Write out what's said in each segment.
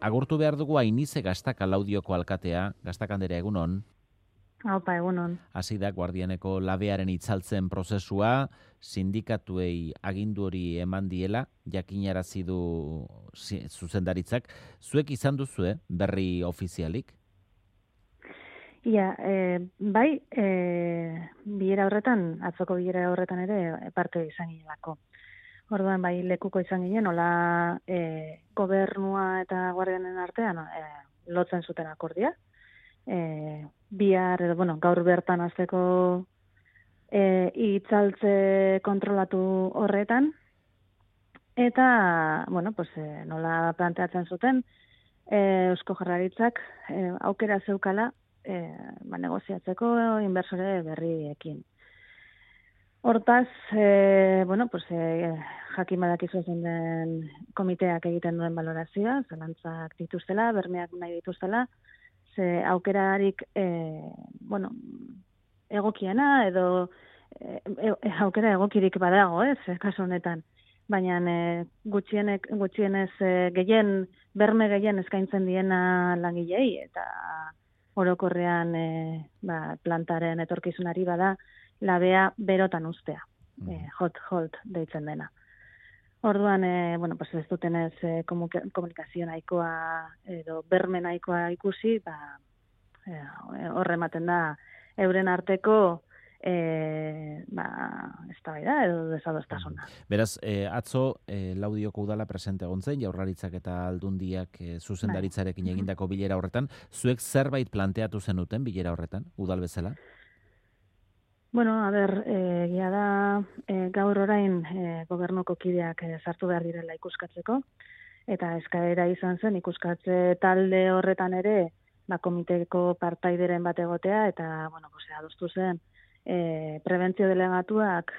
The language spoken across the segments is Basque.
Agurtu behar dugu Ainize Gaztaka Laudioko alkatea, Gaztakandera egunon. Haupa, egunon. Hasi da Guardianeko labearen itzaltzen prozesua, sindikatuei agindu hori eman diela, jakinarazi du zuzendaritzak. Zuek izan duzue berri ofizialik? Ia, bai, bilera horretan, atzoko bilera horretan ere parte izan ginelako. Orduan, bai, lekuko izan ginen, hola gobernua eta guardianen artean lotzen zuten akordia. Bihar, gaur bertan hasteko itzaltze kontrolatu horretan, eta, nola planteatzen zuten, Eusko Jaurlaritzak aukera zeukala negoziatzeko inversore berriekin. Hortaz, jakin badakizu zen den komiteak egiten duen balorazioa, zalantzak dituztela, bermeak nahi dituztela, ze aukerarik egokiena edo aukera egokirik badago, kasu honetan. Baina gutxienez berme gehien eskaintzen diena langilei eta orokorrean plantaren etorkizunari bada labea berotan ustea, hot hold deitzen dena. Orduan, ez dutenez komunikazio nahikoa edo berme nahikoa ikusi, horre ematen da euren arteko eztabaida edo desadostasuna. Beraz, atzo Laudioko udala presente egon zen, Jaurlaritzak eta Aldundiak zuzendaritzarekin egindako bilera horretan. Zuek zerbait planteatu zenuten bilera horretan, udal bezala? Egia da gaur orain gobernuko kideak sartu behar direla ikuskatzeko, eta eskaera izan zen ikuskatze talde horretan ere komiteko partaideren bat egotea, eta adostu zen prebentzio delegatuak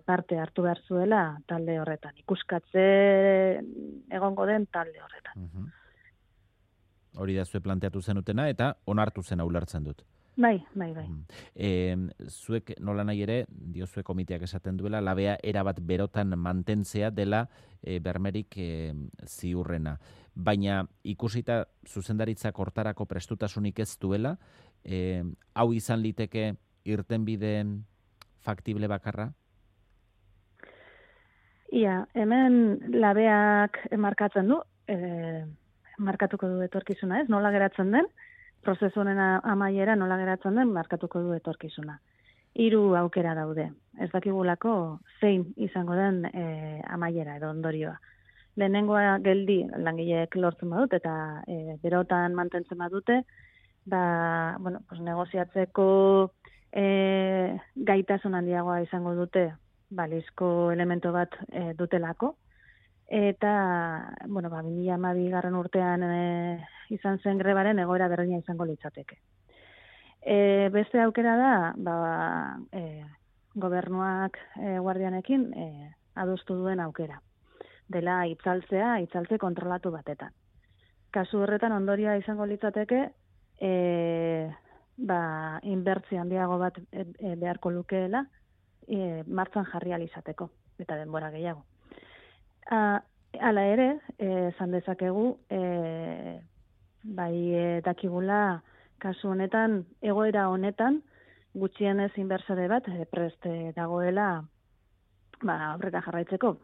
parte hartu behar zuela talde horretan, ikuskatze egongo den talde horretan. Hori da zue planteatu zenutena eta onartu zen ulertzen dut. Bai. Zuek nola nahi ere, diozue komiteak esaten duela, labea erabat berotan mantentzea dela bermerik ziurrena. Baina ikusita zuzendaritzak hortarako prestutasunik ez duela, hau izan liteke irtenbideen faktible bakarra? Ia, hemen labeak markatzen du, markatuko du etorkizuna, ez? Nola geratzen den, prozesu honen amaiera nola geratzen den, markatuko du etorkizuna. 3 aukera daude. Ez dakigulako zein izango den amaiera edo ondorioa. Lehenengoa geldi langileek lortzen badut eta berotan mantentzen badute, negoziatzeko gaitasun handiagoa izango dute, balizko elemento bat dutelako. Eta, 2012 urtean izan zen grebaren egoera berdina izango litzateke. Beste aukera da, gobernuak guardianekin adostu duen aukera. Dela itzaltze kontrolatu batetan. Kasu horretan ondorioa izango litzateke, inbertzio handiago bat beharko lukeela, martxan jarri alizateko, eta denbora gehiago. Hala ere, esan dezakegu, dakigula kasu honetan, egoera honetan, gutxienez inbertsore bat preste dagoela aurrera jarraitzeko,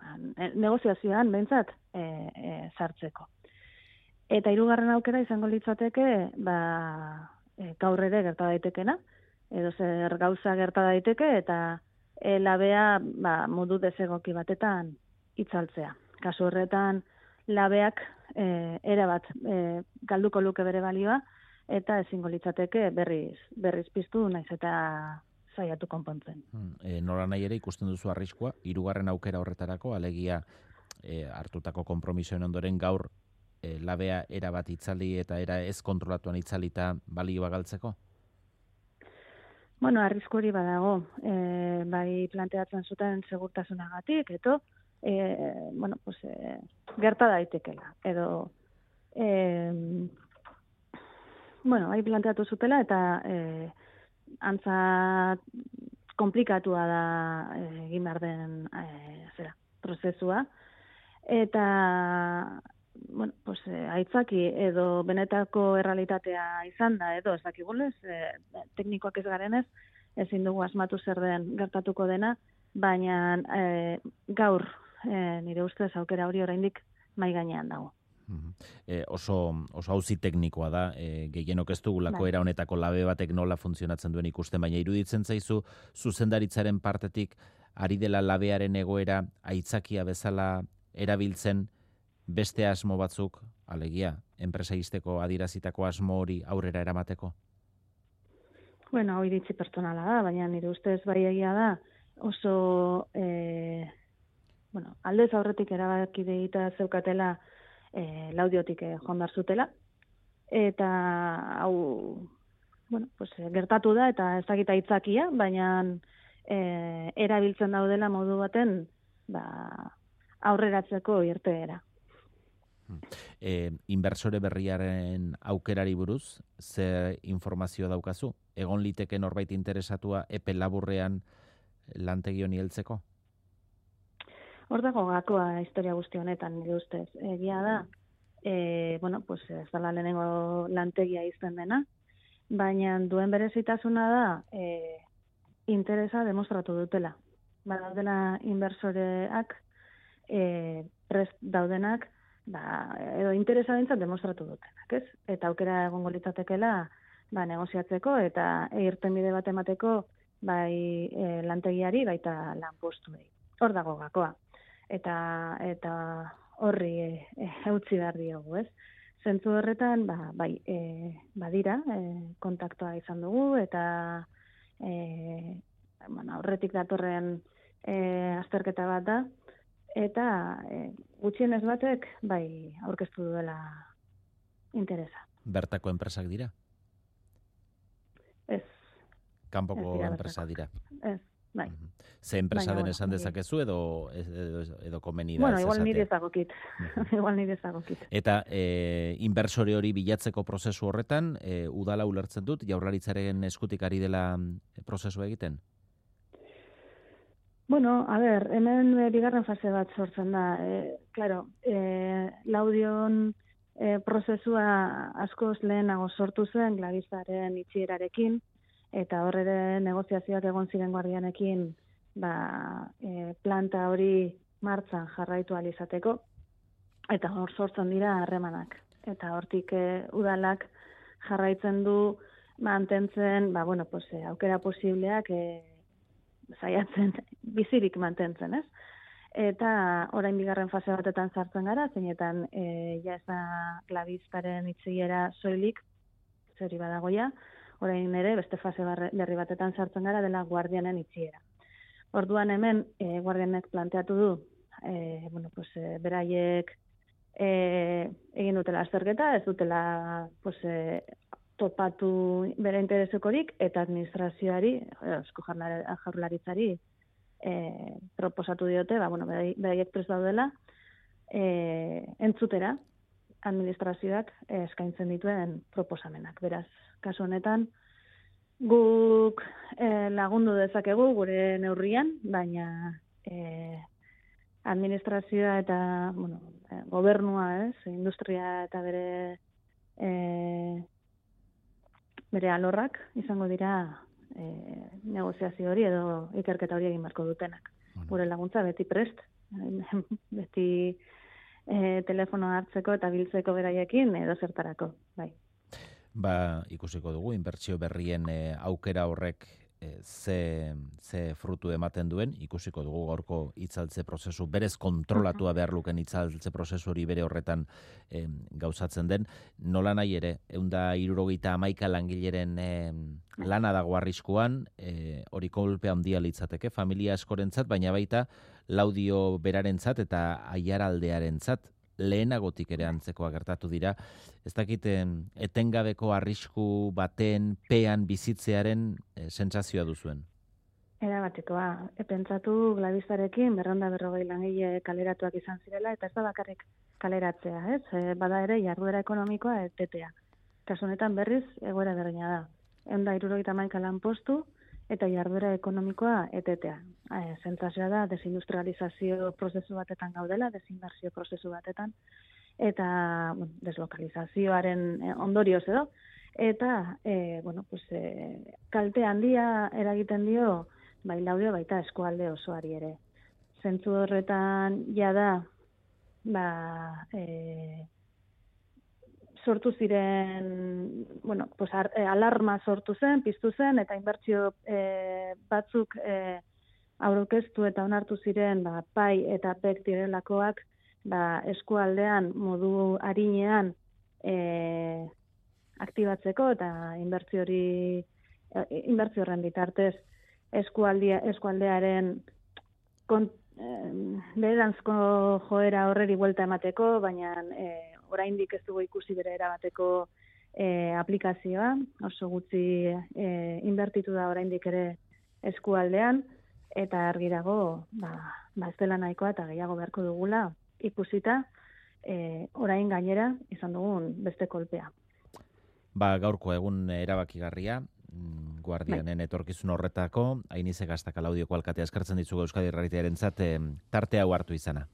negoziazioan behintzat sartzeko. Eta 3. aukera izango litzateke, gaur ere gerta daitekena, edo zer gauza gerta daiteke, eta labea modu desegoki batetan itzaltzea. Kasu horretan, labeak erabat galduko luke bere balioa, eta ezingo litzateke berriz piztu naiz eta saiatu konpontzen. Nola nahi ere ikusten duzu arriskua, 3. aukera horretarako, alegia hartutako konpromisoen ondoren gaur labea erabat itzali eta era ez kontrolatuan itzalita balioa galtzeko? Arrisku hori badago, bai planteatzen zuten segurtasunagatik, eto, gerta daitekela, edo bai planteatu zutela eta antza komplikatua da egin behar den prozesua, eta bueno, pues, aitzaki edo benetako errealitatea izan da, edo ez dakigulez, teknikoak ez garenez, ezin dugu asmatu zer den gertatuko dena, baina gaur nire ustez aukera hori oraindik mai gainean dago. Oso auzi teknikoa da, gehienok ez dugulako era honetako labe batek nola funtzionatzen duen ikusten, baina iruditzen zaizu zuzendaritzaren partetik ari dela labearen egoera aitzakia bezala erabiltzen beste asmo batzuk, alegia, enpresa izteko adierazitako asmo hori aurrera eramateko? Bueno, hau iritzi pertsonala da, baina nire ustez bai egia da, oso aldez aurretik erabaki deita zeukatela Laudiotik joan behar zutela, eta hau pues, gertatu da, eta ez dakit aitzakia, baina erabiltzen daudela modu baten aurreratzeko irteera. Inbertsore berriaren aukerari buruz, zer informazio daukazu? Egon liteke norbait interesatua epe laburrean lantegi honi heltzeko? Hor dago gakoa historia guzti honetan, nire ustez. Egia da, pues ez dela lehenengo lantegia izten dena, baina duen berezitasuna da interesa demostratu dutela. Badaudela inbersoreak prest daudenak, edo interesa bintzat demostratu dutenak, ez? Eta aukera egongo litzatekeela negoziatzeko eta irtenbide bat emateko bai lantegiari baita lanpostuei. Hor dago gakoa. Eta horri eutzi behar diogu, ez? Zentzu horretan, badira, kontaktua izan dugu, eta aurretik datorren azterketa bat da, eta gutxienez batek, aurkeztu duela interesa. Bertako enpresak dira? Ez. Kanpoko enpresa dira? Ez. Bai. Ze enpresa den esan dezakezu edo komeni da? Bueno, igual nire ezagokit. Eta inbersore hori bilatzeko prozesu horretan, udala ulertzen dut, Jaurlaritzaren eskutik ari dela prozesu egiten? Bueno, a ber, hemen bigarren fase bat sortzen da. Laudion prozesua askoz lehenago sortu zen, Glavistaren itxierarekin, eta horre negoziazioak egon ziren Guardianekin planta hori martxan jarraitu alizateko, eta hor sortzen dira harremanak. Eta hortik udalak jarraitzen du mantentzen, aukera posibleak saiatzen bizirik mantentzen, ez? Eta orain bigarren fase batetan sartzen gara, zeinetan ja ez da Glavistaren itxiera soilik, zeri badagoia, orain ere beste fase berri batetan sartzen gara dela Guardianen itxiera. Orduan hemen Guardianek planteatu du, beraiek egin dutela azterketa, ez dutela topatu bere interesekorik, eta administrazioari, Eusko Jaurlaritzari proposatu diote, beraiek prest daudela entzutera administrazioak eskaintzen dituen proposamenak. Beraz, kasu honetan, guk lagundu dezakegu gure neurrian, baina administrazioa eta gobernua, industria eta bere alorrak izango dira negoziazio hori edo ikerketa hori egin beharko dutenak. Gure laguntza beti prest, beti telefono hartzeko eta biltzeko beraiekin edo zertarako, bai. Ikusiko dugu, inbertsio berrien aukera horrek ze frutu ematen duen, ikusiko dugu gaurko itzaltze prozesu, berez kontrolatua behar luken itzaltze prozesu hori bere horretan gauzatzen den. Nola nahi ere, 171 langileren lana dago arriskuan, hori kolpe handia litzateke, familia askorentzat, baina baita Laudio berarentzat eta Aiaraldearentzat lehenagotik ere antzekoa gertatu dira. Ez dakit etengabeko arrisku baten pean bizitzearen sentsazioa duzuen? Erabatekoa. Pentsatu Glavistarekin 240 langile kaleratuak izan zirela, eta ez da bakarrik kaleratzea, ez? Bada ere jarduera ekonomikoa etetea. Kasu honetan berriz egoera berdina da. 171 lanpostu eta jarduera ekonomikoa etetea. Sentsazioa da desindustrializazio prozesu batetan gaudela, desinbertsio prozesu batetan, eta deslokalizazioaren ondorioz edo, eta kalte handia eragiten dio bai Laudio baita eskualde osoari ere. Zentzu horretan jada sortu ziren, alarma sortu zen, piztu zen, eta inbertsio batzuk aurkeztu eta onartu ziren PAI eta PEC direlakoak eskualdean modu arinean aktibatzeko eta inbertsio horren bitartez eskualdearen beheranzko joera horreri buelta emateko, baina oraindik ez dugu ikusi bere erabateko aplikazioa, oso gutxi inbertitu da oraindik ere eskualdean, eta argi dago ez dela nahikoa eta gehiago beharko dugula ikusita orain gainera izan dugun beste kolpea. Gaurko egun erabakigarria, Guardianen etorkizun horretako, Ainize Gaztaka Laudioko alkatea eskertzen ditzugu Euskadi Irratierentzat tarte hau hartu izana.